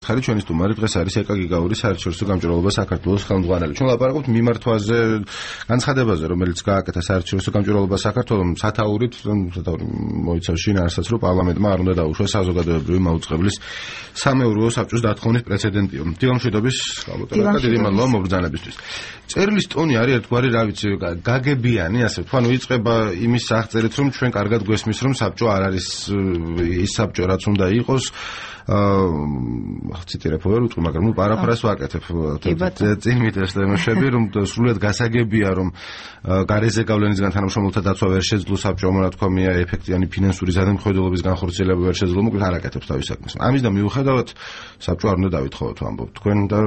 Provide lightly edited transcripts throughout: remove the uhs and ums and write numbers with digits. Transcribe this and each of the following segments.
მკითხარი ჩვენი სტუმარი დღეს არის ეკა გიგაური საერთაშორისო გამჭვირვალობა საქართველოს ხელმძღვანელი. ჩვენ ლაპარაკობთ მიმართვაზე, განცხადებაზე, რომელიც გააკეთა საერთაშორისო გამჭვირვალობა საქართველოს სათაურით მოიცავს შინაარსსაც, რომ პარლამენტმა არ უნდა დაუშვას საზოგადოებრივი მაუწყებლის სამეურვეო საბჭოს დათხოვნის პრეცედენტიო. დილამშვიდობის, ალბათ დიდი მადლობა მობრძანებისთვის. წერილის ტონი არის ერთგვარი, რა ვიცი, გაგებიანი, ასე ვთქვა, იწყება იმის აღწერით, რომ ჩვენ კარგად გვესმის, რომ საბჭო არ არის ის საბჭო, რაც უნდა იყოს. ციტირებ ვერ უწყო, მაგრამ პარაფრაზს ვაკეთებ. წინ მიტევს თემები, რომ სრულიად გასაგებია, რომ გარეზე გავლენისგან თანამშრომელთა დაცვა ვერ შეძლო საბჭომ, რა თქვა, ეფექტიანი ფინანსური ზედამხედველობის განხორციელება ვერ შეძლო, მოკლედ არ აკეთებს თავის საქმეს. ამისგან მიუხედავად საბჭო არ უნდა დავითხოვოთ, ამბობთ თქვენ და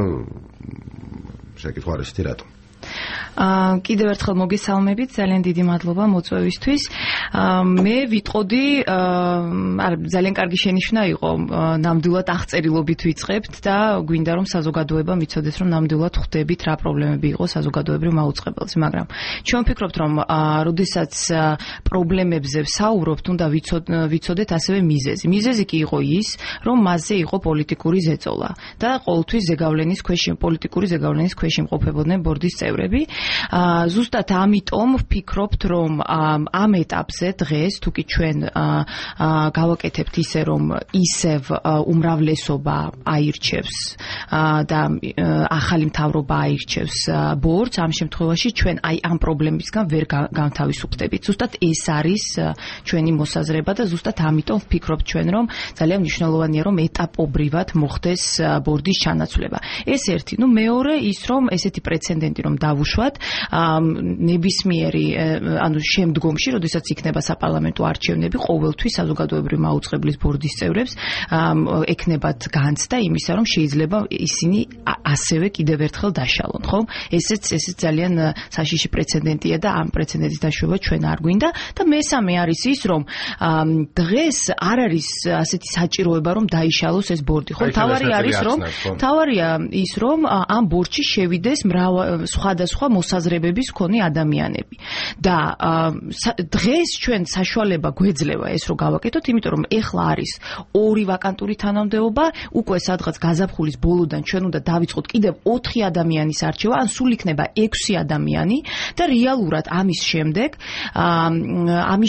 შეკითხვა არის ისეთი რატომ? კიდევ ერთხელ მოგესალმებით, ძალიან დიდი მადლობა მოწვევისთვის. მე ვიტყოდი, ძალიან კარგი შენიშვნა იყო, ნამდვილად აღწერილობით ვიწყებთ და გვინდა რომ საზოგადოება მიცოდეს, რომ ნამდვილად ხვდებით რა პრობლემები იყო საზოგადოებრივ მაუწყებელზე, მაგრამ ჩვენ ვფიქრობთ, რომ როდესაც პრობლემებზე ვსაუბრობთ, უნდა ვიცოდეთ ასევე მიზეზი. მიზეზი კი იყო ის, რომ მასზე იყო პოლიტიკური ზეწოლა და ყოველთვის პოლიტიკური ზეგავლენის ქვეშ იმყოფებოდნენ ბორდის წევრები. ზუსტად ამიტომ ვფიქრობთ, რომ ამ ეტაპზე დღეს თუ კი ჩვენ გავაკეთებთ ისე, რომ ისევ უმრავლესობა აირჩევს და ახალი მთავრობა აირჩევს ბორდს, ამ შემთხვევაში ჩვენ აი ამ პრობლემისგან ვერ განთავისუფლდებით. ზუსტად ეს არის ჩვენი მოსაზრება და ზუსტად ამიტომ ვფიქრობთ ჩვენ, რომ ძალიან მნიშვნელოვანია, რომ ეტაპობრივად მოხდეს ბორდის ჩანაცვლება. ეს ერთი, მეორე ის, რომ ესეთი პრეცედენტი რომ დავუშვათ, ნებისმიერი, ანუ შემდგომში, როდესაც იქნება საპარლამენტო არჩევნები, ყოველთვის საზოგადოებრივი მაუწყებლის ბორდის წევრებს ექნებათ განცდა იმისა, რომ შეიძლება ისინი ასევე კიდევ ერთხელ დაშალონ, ხო? ესეც ძალიან საშიში პრეცედენტია და ამ პრეცედენტის დაშვება ჩვენ არ გვინდა და მესამე არის ის, რომ დღეს არ არის ასეთი საჭიროება, რომ დაიშალოს ეს ბორდი, ხო? თავარია ის, რომ ამ ბორდში შევიდეს სხვადასხვა მოსაზრებების მქონე ადამიანები. და დღეს ჩვენ საშუალება გვეძლევა ეს რომ გავაკეთოთ, იმიტომ რომ ეხლა არის 2 ვაკანტური თანამდებობა, უკვე სადღაც გაზაფხულის ბოლოდან ჩვენ უნდა დავიწყოთ კიდევ 4 ადამიანის არჩევა, ან სულ იქნება 6 ადამიანი და რეალურად ამის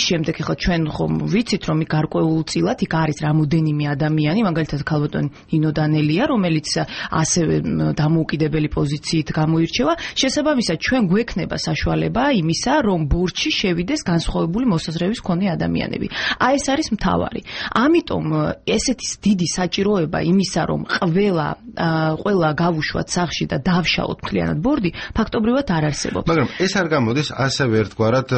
შემდეგ ეხლა ჩვენ ხომ ვიცით რომ გარკვეულწილად იქ არის რამოდენიმე ადამიანი, მაგალითად ქალბატონი ნინო დანელია, რომელიც ასევე დამოუკიდებელი პოზიციით გამოირჩევა. შესაბამისად ჩვენ გვექნება საშუალება იმისა, რომ ბორდში შევიდეს განსხვავებული მოსაზრების მქონე ადამიანები. ეს არის მთავარი. ამიტომ ესეთი დიდი საჭიროება იმისა, რომ ყველა გავუშვათ სახლში და დავშალოთ მთლიანად ბორდი, ფაქტობრივად არ არსებობს. მაგრამ ეს არ გამოდის ასევე ერთგვარად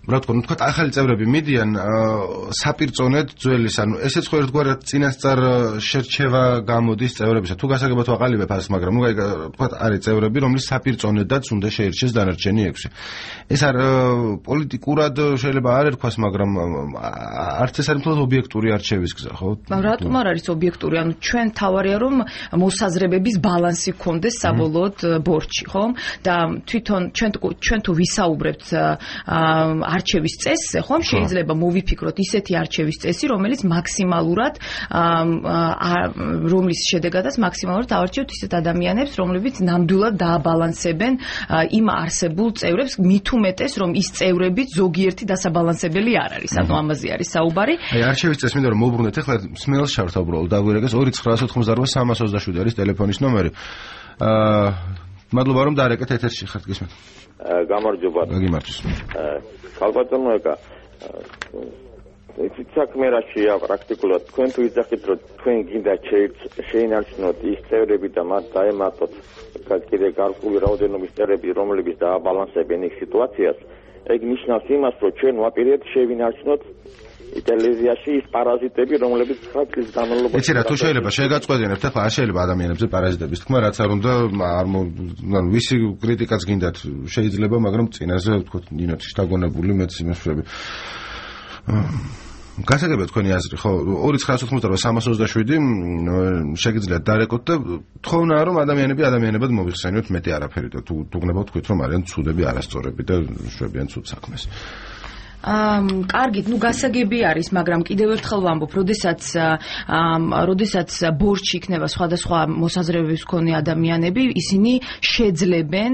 რა თქვა, ახალი წევრები მიდიან საპირწონედ ძველის, ანუ ესეც ხო ერთგვარად წინასწარ შერჩევა გამოდის წევრებისა. თუ გასაგებად ვაყალიბებ ასს, მაგრამ თქვა არის წევრები, რომლის საპირწონედაც უნდა შეირჩეს დანარჩენი 6. ეს არ პოლიტიკურად შეიძლება არ ერქვას, მაგრამ არც ეს არის მთლად ობიექტური არჩევის გზა, ხო? რატომ არ არის ობიექტური? ანუ ჩვენ თავარია რომ მოსაზრებების ბალანსი გქონდეს საბოლოოდ ბორდში, ხო? და თვითონ ჩვენ თუ ვისაუბრებთ არჩევის წესზე, ხომ შეიძლება მოვიფიქროთ ისეთი არჩევის წესი, რომელიც მაქსიმალურად რომლის შედეგადაც მაქსიმალურად ავარჩევთ ისეთ ადამიანებს, რომლებიც ნამდვილად დააბალანსებენ იმ არსებულ წევრებს, მით უმეტეს, რომ ის წევრებიც ზოგიერთი დასაბალანსებელი არ არის. ანუ ამაზე არის საუბარი. აი არჩევის წესი მინდა რომ მოვბრუნდეთ, ახლა სმელს შევართ უბრალოდ დაგვირეკეს 2988327 არის ტელეფონის ნომერი. მადლობა რომ დაარეკეთ ეთერში ხართ, გისმენთ. გამარჯობა. გიმარჯოს. ქალბატონო ეკა, ეს საქმე რა შეა პრაქტიკულად თქვენ თუ იძახით რომ თქვენ გინდა შეინარჩუნოთ ის წევრები და მათ დაემატოთ კიდე გარკვეული რაოდენობის წევრები, რომლებიც დააბალანსებენ იქ სიტუაციას, ეგ ნიშნავს იმას, რომ ჩვენ ვაპირებთ შევინარჩუნოთ ტელევიზიაში ის პარაზიტები, რომლებიც ხალხის განმავლობაში. იცი რა, თუ შეიძლება შეგაწყვეტინებთ, ახლა არ შეიძლება ადამიანებზე პარაზიტების თქმა, რაც არ უნდა, ანუ ვისი კრიტიკაც გინდათ შეიძლება, მაგრამ წინაზე თქო ნინოთი შთაგონებული მეც იმასვრები. გასაგებია თქვენი აზრი, ხო? 2988327 შეგიძლიათ დარეკოთ და თხოვნაა რომ ადამიანებად მოიხსენიოთ, მეტი არაფერი და თუ გნებავთ თქვით რომ არიან ცუდები, არასწორები და შვებიან ცუდ საქმეს. კარგი, გასაგები არის, მაგრამ კიდევ ერთხელ ვამბობ, როდესაც ბორჩი იქნება სხვადასხვა მოსაზრებების მქონე ადამიანები, ისინი შეძლებენ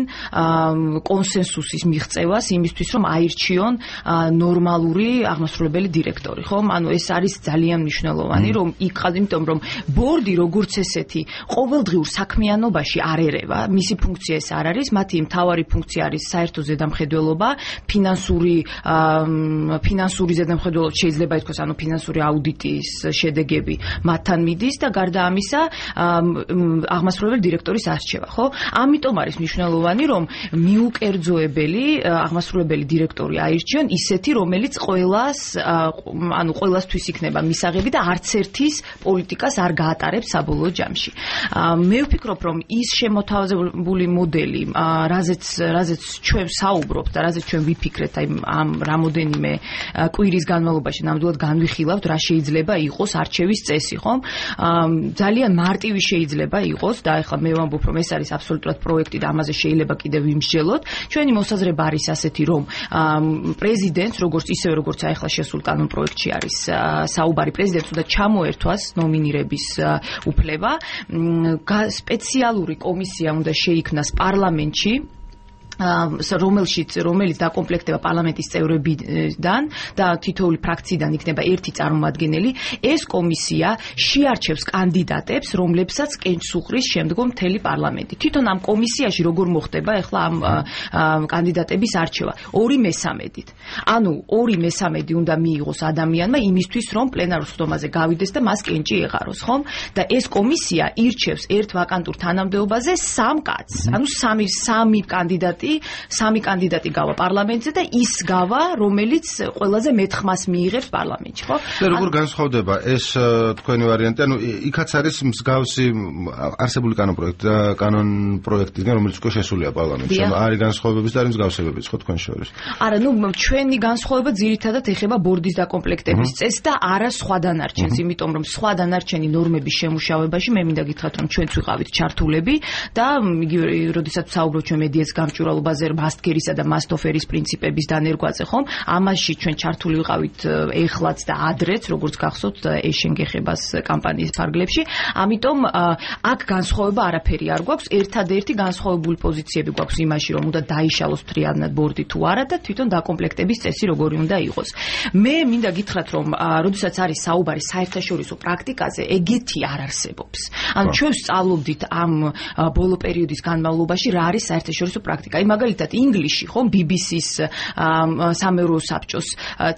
კონსენსუსის მიღწევას იმისთვის, რომ აირჩიონ ნორმალური აღმასრულებელი დირექტორი, ხო? ანუ ეს არის ძალიან მნიშვნელოვანი, რომ იმიტომ რომ ბორდი როგორც ესეთი ყოველდღიურ საქმიანობაში არ ერევა, მისი ფუნქცია ეს არ არის, მათი მთავარი ფუნქცია არის საერთო ზედამხედველობა, ფინანსური ზედამხედველობა შეიძლება ითქვას, ანუ ფინანსური აუდიტის შედეგები მათთან მიდის და გარდა ამისა აღმასრულებელი დირექტორის არჩევა, ხო? ამიტომ არის მნიშვნელოვანი, რომ მიუკერძოებელი აღმასრულებელი დირექტორი აირჩიონ ისეთი, რომელიც ყველასთვის იქნება მისაღები და არც ერთის პოლიტიკას არ გაატარებს საბოლოო ჯამში. მე ვფიქრობ, რომ ის შემოთავაზებული მოდელი, რაზეც ჩვენ საუბრობთ და რაზეც ჩვენ ვიფიქრეთ ამ რამოდენიმე კვირის განმავლობაში ნამდვილად განვიხილავთ, რა შეიძლება იყოს არჩევის წესი, ხომ? ძალიან მარტივი შეიძლება იყოს და ახლა მე ვამბობ, რომ ეს არის აბსოლუტურად პროექტი და ამაზე შეიძლება კიდევ ვიმსჯელოთ. ჩვენი მოსაზრება არის ასეთი, რომ პრეზიდენტს, როგორც ახლა შესულ კანონპროექტში არის საუბარი, პრეზიდენტს უნდა ჩამოერთვას ნომინირების უფლება, სპეციალური კომისია უნდა შეიქმნას პარლამენტში, რომელიც დაკომპლექტდება პარლამენტის წევრებიდან და თითოეული ფრაქციიდან იქნება ერთი წარმომადგენელი. ეს კომისია შეარჩევს კანდიდატებს, რომლებსაც კენჭს უყრის შემდგომ მთელი პარლამენტი. თვითონ ამ კომისიაში როგორ მოხდება ახლა ამ კანდიდატების არჩევა? 2/3-ით. ანუ 2/3 უნდა მიიღოს ადამიანმა იმისთვის, რომ პლენარულ სხდომაზე გავიდეს და მას კენჭი ეღაროს, ხომ? და ეს კომისია ირჩევს ერთ ვაკანტურ თანამდებობაზე 3 კაცს. ანუ 3 კანდიდატი გავა პარლამენტზე და ის გავა, რომელიც ყველაზე მეტ ხმას მიიღებს პარლამენტში, ხო? და როგორ განსხვავდება ეს თქვენი ვარიანტი? ანუ იქაც არის მსგავსი არსებული კანონპროექტისგან, რომელიც უკვე შესულია პარლამენტში. ანუ არის განსხვავებებიც და არის მსგავსებებიც, ხო, თქვენ შორის? არა, ჩვენი განსხვავება ძირითადად ეხება ბორდის დაკომპლექტების წესს და არა სხვა დანარჩენს, იმიტომ რომ სხვა დანარჩენი ნორმების შემუშავებაში მე მინდა გითხრათ, რომ ჩვენც ვიყავით ჩართულები და იგივე, როდესაც საუბრობთ ჩვენ მედიას გამჭვირვალობაზე, მასტგერისა და მასტოფერის პრინციპების დანერგვაზე, ხომ? ამაში ჩვენ ჩართული ვიყავით ეხლაც და ადრეც, როგორც გახსოვთ, ეშენგეხებას კამპანიის ფარგლებში. ამიტომ აქ განსხვავება არაფერი არ გვაქვს. ერთადერთი განსხვავებული პოზიციები გვაქვს იმაში, რომ უნდა დაიშალოს მთლიანად ბორდი თუ არა და თვითონ დაკომპლექტების წესი როგორი უნდა იყოს. მე მინდა გითხრათ, რომ როდესაც არის საუბარი საერთაშორისო პრაქტიკაზე, ეგეთი არ არსებობს. ანუ ჩვენ ვსწავლობდით ამ ბოლო პერიოდის განმავლობაში რა არის საერთაშორისო პრაქტიკა. მაგალითად ინგლისში, ხომ, BBC-ს სამეურვეო საბჭოს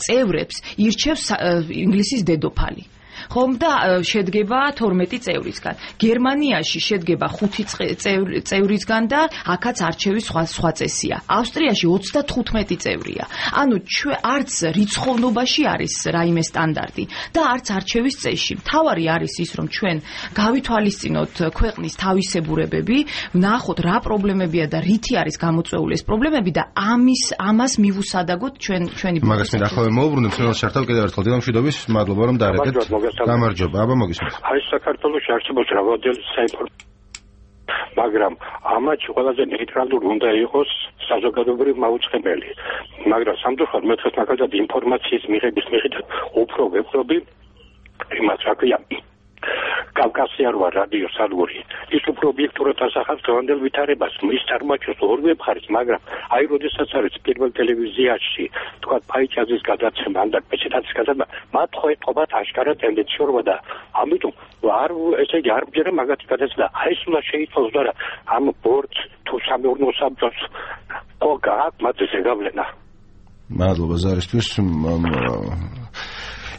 წევრებს ირჩევს ინგლისის დედოფალი. ხომ და შედგება 12 წევრისგან. გერმანიაში შედგება 5 წევრისგან და აქაც არჩევის სხვა წესია. ავსტრიაში 35 წევრია. ანუ არც რიცხოვნობაში არის რაიმე სტანდარტი და არც არჩევის წესში. მთავარი არის ის, რომ ჩვენ გავითვალისწინოთ ქვეყნის თავისებურებები, ვნახოთ რა პრობლემებია და რითი არის გამოწვეული ეს პრობლემები და ამას მივუსადაგოთ ჩვენი მაგას მე ახლა მოვუბრუნებ ხელს შართავ კიდევ ერთხელ დილამშვიდობის, მადლობა რომ დაარეკეთ. გამარჯობა, აბა მოგისმენთ. აი საქართველოს არჩევნებს რაოდენობის საინფორმაციო, მაგრამ ამაში ყველაზე ნეიტრალური უნდა იყოს საზოგადოებრივი მაუწყებელი. მაგრამ სამწუხაროდ მე დღეს მაგალითად ინფორმაციის მიღების მიხითად უფრო ვეპყრობი იმას, რა ქვია, კავკასია რვა რადიო სადგური. ის უფრო ობიექტურად ასახავს დღევანდელ ვითარებას. ის წარმოაჩენს ორივე მხარეს, მაგრამ აი როდესაც არის პირველ ტელევიზიაში, თქვა ფაიჩაძის გადაცემა, ან და პეჩეტაძის გადაცემა, მათ ხო ეთყობათ აშკარა ტენდენციურობა და ამიტომ ესე იგი არ მჯერა მაგათი გადაცემა. აი ეს უნდა შეიცვალოს და ამ ბორდს თუ სამეურნეო საბჭოს ხო გააქვს მათზე შეგავლენა. მადლობა ზარისთვის.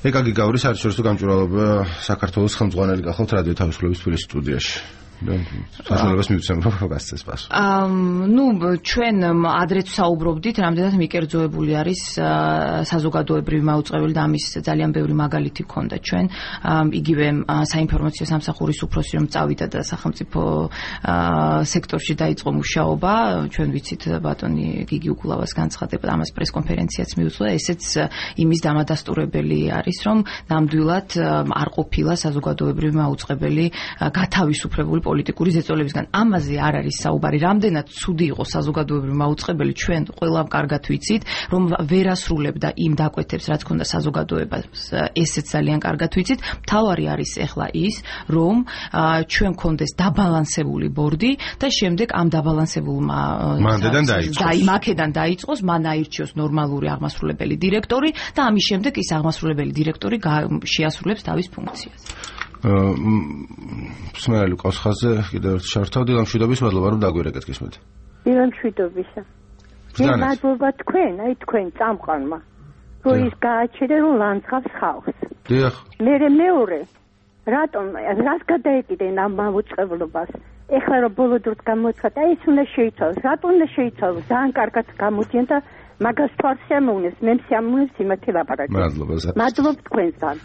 ეკაგი გავრის საერთაშორისო გამჭვირვალობა საქართველოს ხელმძღვანელი გახავთ რადიო თავისუფლების თბილისის სტუდიაში. საშუალებას მივცემ გასცეს პასუხი. ჩვენ ადრეც საუბრობდით, რამდენად მიკერძოებული არის საზოგადოებრივი მაუწყებელი და ამის ძალიან ბევრი მაგალითი გქონდა ჩვენ. იგივე საინფორმაციო სამსახურის უფროსი რომ წავიდა და სახელმწიფო სექტორში დაიწყო მუშაობა, ჩვენ ვიცით ბატონი გიგი უგულავას განცხადება, ამას პრესკონფერენციაც მიუძღვა, ესეც იმის დამადასტურებელი არის, რომ ნამდვილად არ ყოფილა საზოგადოებრივი მაუწყებელი გათავისუფლებული პოლიტიკური ზეწოლებისგან. ამაზე არ არის საუბარი. რამდენად ცუდი იყო საზოგადოებრივი მაუწყებელი, ჩვენ ყველამ კარგად ვიცით, რომ ვერასრულებდა იმ დაკვეთებს, რაც ქონდა საზოგადოებას, ესეც ძალიან კარგად ვიცით. მთავარი არის ეხლა ის, რომ ჩვენ გქონდეს დაბალანსებული ბორდი და შემდეგ ამ დაბალანსებულმა მაქედან დაიწყოს, მან აირჩიოს ნორმალური აღმასრულებელი დირექტორი და ამის შემდეგ ის აღმასრულებელი დირექტორი შეასრულებს თავის ფუნქციას. სმერალი ყავს ხაზზე კიდევ ერთ შართავდი ლამშვიდობის მადლობა რომ დაგვირეკეთ გისმით. ლამშვიდობისა. მადლობა თქვენ, აი თქვენ წამყვანმა. რომ ის გააჩერე რომ ლანძღავს ხალხს. დიახ. მეორე რატომ რას გადაეკიდენ ამ მაუწყებლობას? ეხლა რომ ბოლო დროს გამოცხადა, აი ეს უნდა შეიცვალოს. რატომ უნდა შეიცვალოს? ძალიან კარგად გამოდიან და მაგას თვალს შემოუნეს, მე შემოუნეს იმათი ლაპარაკი. მადლობა თქვენთან.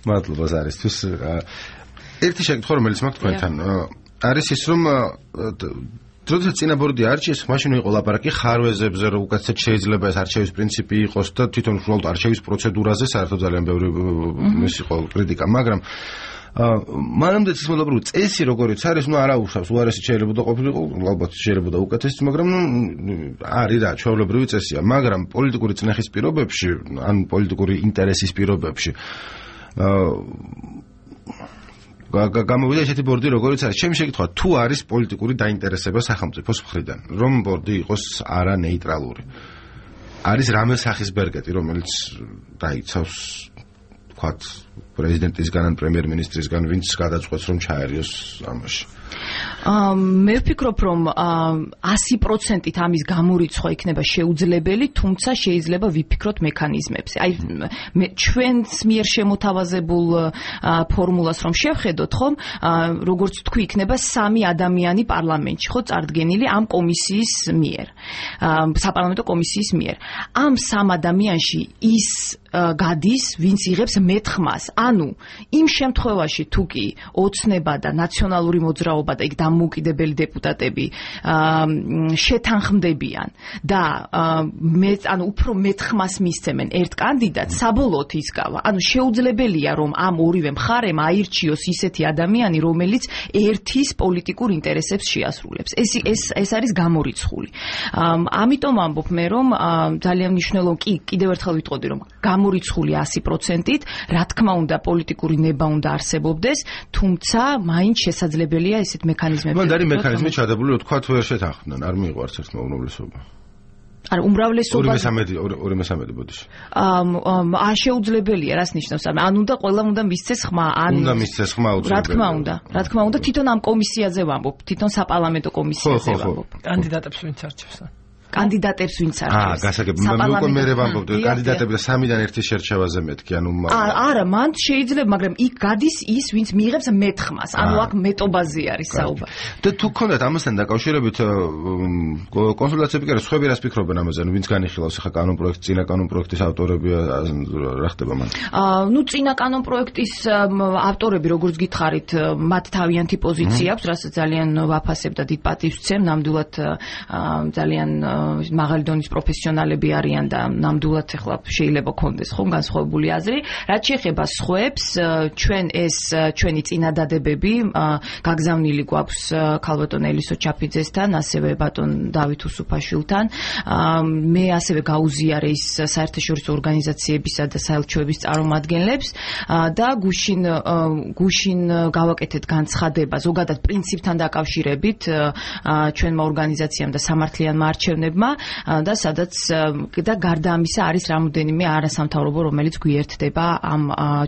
მადლობა ზარისთვის. ერთი შეკითხვა რომელიც მაქვს თქვენთან არის ის რომ როდესაც წინაბორდი არჩიეს, მაშინ იყო ლაპარაკი ხარვეზებზე, რომ უკაცრად შეიძლება ეს არჩევის პრინციპი იყოს და თვითონ უბრალოდ არჩევის პროცედურაზე საერთოდ ძალიან ბევრი ის იყო კრიტიკა, მაგრამ მანამდე ის მოლაპარაკე წესი როგორიც არის, არა უშავს, უარესი შეიძლება და ყოფილიყო, ალბათ შეიძლება და უკეთესი, მაგრამ არის რა, ჩვეულებრივი წესია, მაგრამ პოლიტიკური წნეხის პირობებში, ან პოლიტიკური ინტერესის პირობებში გამოვიდა ესეთი ბორდი როგორიც არის. ჩემი შეკითხვა, თუ არის პოლიტიკური დაინტერესება სახელმწიფოს მხრიდან, რომ ბორდი იყოს არა ნეიტრალური. არის რამე სახის ბერგეტი, რომელიც დაიცავს თქვათ პრეზიდენტისგან ან პრემიერ-მინისტრისგან, ვინც გადაწყვეტს რომ ჩაერიოს ამაში. მე ვფიქრობ, რომ 100%-ით ამის გამორიცხვა იქნება შეუძლებელი, თუმცა შეიძლება ვიფიქროთ მექანიზმებზე. აი ჩვენს მიერ შემოთავაზებულ ფორმულას რომ შევხედოთ, ხომ, როგორც თქვი, იქნება 3 ადამიანი პარლამენტში, ხო, წარდგენილი ამ კომისიის მიერ, საპარლამენტო კომისიის მიერ. ამ 3 ადამიანში ის გადის, ვინც იღებს მეთხმას. ანუ იმ შემთხვევაში თუ კი ოცნება და ნაციონალური მოძრაობა და იქ დამოუკიდებელი დეპუტატები შეთანხმდებიან და ანუ უფრო მეთხმას მისცემენ ერთ კანდიდატს, საბოლოოდ ისგავა. ანუ შეუძლებელია რომ ამ ორივე მხარემ აირჩიოს ისეთი ადამიანი, რომელიც ერთის პოლიტიკურ ინტერესებს შეასრულებს. ეს არის გამორიცხული. ამიტომ ამბობ მე რომ ძალიან მნიშვნელოვანი კიდევ ერთხელ ვიტყოდი რომ გამორიცხული 100%-ით, რა თქმა უნდა პოლიტიკური ნება უნდა არსებობდეს, თუმცა მაინც შესაძლებელია ესეთ მექანიზმები. მანდ არის მექანიზმი ჩადებული, რომ თქვათ ვერ შეთანხმდნენ, არ მიიღო არც ერთმა უმრავლესობა. არა, უმრავლესობა 2/3 ბოდიში. შეუძლებელია, რას ნიშნავს? ან უნდა ყველამ უნდა მისცეს ხმა, ან უნდა მისცეს ხმა უცნობია. რა თქმა უნდა, თვითონ ამ კომისიაზე ვამბობ, თვითონ საპარლამენტო კომისიაზე ვამბობ. კანდიდატებს ვინც არჩევს? კანდიდატებს ვინც არჩევს. გასაგები, მე მე ვამბობდი, კანდიდატები და 3-დან 1 შერჩევაზე მეთქი, ანუ არა, მან შეიძლება, მაგრამ იქ გადის ის, ვინც მიიღებს მეთხმას. ანუ აქ მეტობაზე არის საუბარი. და თუ გქონდათ ამასთან დაკავშირებით კონსულტაციები კი არა, სხვები რას ფიქრობენ ამაზე, ვინც განიხილავს ახლა კანონპროექტს, წინა კანონპროექტის ავტორები, რა ხდება მან? წინა კანონპროექტის ავტორები, როგორც გითხარით, მათ თავიანთი პოზიცია აქვს, რასაც ძალიან ვაფასებ და დიდ პატივს ვცემ, ნამდვილად ძალიან მაღალი დონის პროფესიონალები არიან და ნამდვილად ახლა შეიძლება კონდეს ხომ განსხვავებული აზრი. რაც შეეხება სხვებს, ჩვენი წინადადებები გაგზავნილი გვაქვს ქალბატონ ელისო ჩაფიძესთან, ასევე ბატონ დავით უსუფაშვილთან. მე ასევე გაუზიარე ის საერთაშორისო ორგანიზაციებისა და საელჩოების წარმომადგენლებს და გუშინ გავაკეთეთ განცხადება ზოგადად პრინციპთან დაკავშირებით ჩვენმა ორგანიზაციამ და სამართლიანმა არჩევნებმა და სადაც და გარდა ამისა არის რამოდენიმე არასამთავრობო, რომელიც გვიერთდება ამ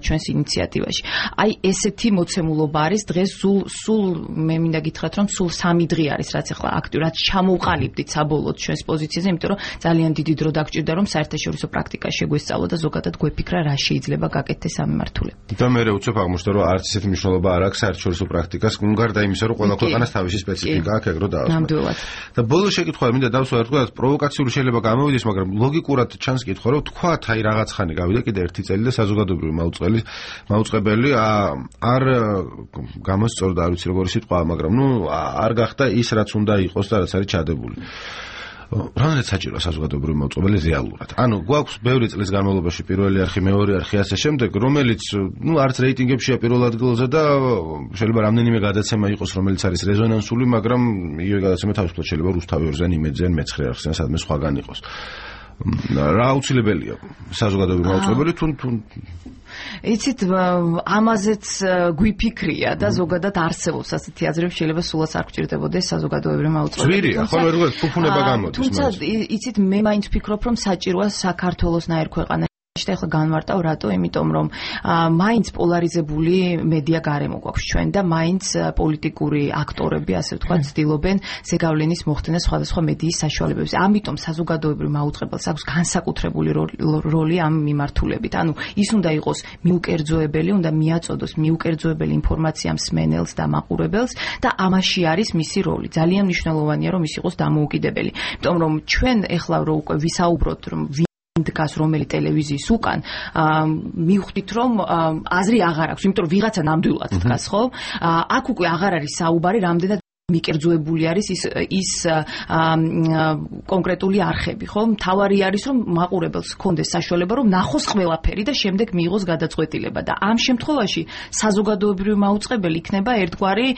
ჩვენს ინიციატივაში. აი ესეთი მოცემულობა არის დღეს სულ მე მინდა გითხრათ რომ სულ 3 დღე არის რაც ახლა აქტიურად ჩამოვყალიბდით საბოლოოდ ჩვენს პოზიციაზე, იმიტომ რომ ძალიან დიდი დრო დაგჭირდა რომ საერთაშორისო პრაქტიკა შეგვესწავლო და ზოგადად გვეფიქრა რა შეიძლება გაკეთდეს ამ მიმართულებით. და მე უცებ აღმოჩნდა რომ არც ესეთი მნიშვნელობა არ აქვს საერთაშორისო პრაქტიკას, გარდა იმისა რომ ყველა ქვეყანას თავისი სპეციფიკა აქვს, ეგრო დაასრულოს. ნამდვილად. და ბოლო შეკითხვა მინდა დავსვა თქვა პროვოკაციური შეიძლება გამოვიდეს, მაგრამ ლოგიკურად ჩანს კითხვა, რომ თქვათ აი რაღაც ხანი გავიდა კიდე 1 წელი და საზოგადოებრივი მაუწყებელი არ გამოსწორდა, არ ვიცი როგორი სიტყვა, მაგრამ არ გახდა ის რაც უნდა იყოს და რაც არის ჩადებული. რამდენად საჭიროა საზოგადოებრივი მოწყობილი რეალურად? ანუ გვაქვს ბევრი წლის განმავლობაში პირველი არხი, მეორე არხი, ასე შემდეგ, რომელიც არც რეიტინგებშია პირველ ადგილზე და შეიძლება რამდენიმე გადაცემა იყოს, რომელიც არის რეზონანსული, მაგრამ იგივე გადაცემა თავისუფლად შეიძლება რუსთავი ორზენ, იმედზენ, მეცხრე არხზენ, სადმე სხვაგან იყოს. რა აუცილებელია საზოგადოებრივი მოწყობილი თუ იცით ამაზეც გვიფიქრია და ზოგადად არსებობს ასეთი აზრები შეიძლება სულაც არ გჭირდებოდეს საზოგადოებრივი მოწყობილი. ხო, როგორ ფუფუნება გამოდის. თუმცა იცით მე მაინც ვფიქრობ რომ საჭიროა საქართველოსნაირ ქვეყანაში ეხლა განვარტავ რატო? იმიტომ რომ მაინც პოლარიზებული მედია გარემო გვაქვს ჩვენ და მაინც პოლიტიკური აქტორები, ასე ვთქვათ, ცდილობენ ზეგავლენის მოხდენა სხვადასხვა მედიის საშუალებებზე. ამიტომ საზოგადოებრივ მაუწყებელს აქვს განსაკუთრებული როლი ამ მიმართულებით. ანუ ის უნდა იყოს მიუკერძოებელი, უნდა მიაწოდოს მიუკერძოებელი ინფორმაცია მსმენელს და მაყურებელს და ამაში არის მისი როლი. ძალიან მნიშვნელოვანია რომ ის იყოს დამოუკიდებელი. იმიტომ რომ ჩვენ ეხლა რო უკვე ვისაუბროთ რომ დგას რომელი ტელევიზიის უკან მივხვდით რომ აზრი აღარ აქვს, იმიტომ რომ ვიღაცა ნამდვილად დგას, ხო? აქ უკვე აღარ არის საუბარი რამდენად მიკერძოებული არის ის კონკრეტული არხები, ხო? მთავარი არის რომ მაყურებელს ჰქონდეს საშუალება რომ ნახოს ყველაფერი და შემდეგ მიიღოს გადაწყვეტილება და ამ შემთხვევაში საზოგადოებრივი მაუწყებელი იქნება ერთგვარი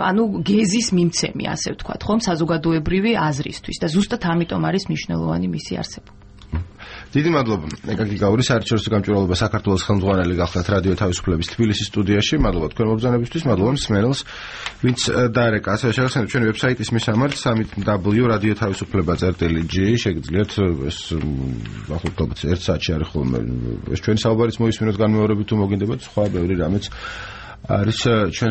ანუ გეზის მიმცემი, ასე ვთქვათ, ხომ? საზოგადოებრივი აზრისთვის და ზუსტად ამიტომ არის მნიშვნელოვანი მისი არსებობა. დიდი მადლობა. ეკაკი გაური, საერთაშორისო გამჭვირვალობა საქართველოს ხელმძღვანელი გახლდათ რადიო თავისუფლების თბილისის სტუდიაში. მადლობა თქვენ მობრძანებისთვის, მადლობა მსმენელს, ვინც დაერეკა. ასევე შეგახსენებთ ჩვენი ვებსაიტის მისამართი www.radiotavisufleba.gi შეგიძლიათ ეს ახლა 1 საათში არის ხოლმე ეს ჩვენი საუბარიც მოისმინოთ განმეორებით თუ მოგინდებათ სხვა ბევრი რამეც არის ჩვენ